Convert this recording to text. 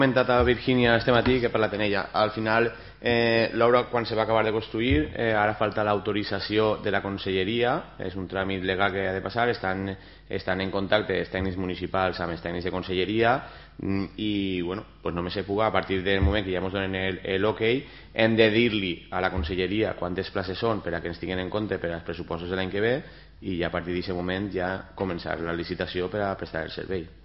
comentat a Virgínia este matí, que he parlat en ella. Al final, l'obra, quan se va acabar de construir, ara falta l'autorització de la conselleria, és un tràmit legal que ha de passar, estan en contacte els tècnics municipals amb els tècnics de conselleria i bueno, pues només se puga, a partir del moment que ja ens donen l'ok, hem de dir-li a la conselleria quantes places són per a que ens tinguin en compte per als pressupostos de l'any que ve i ja a partir d'aquest moment ja començar la licitació per a prestar el servei.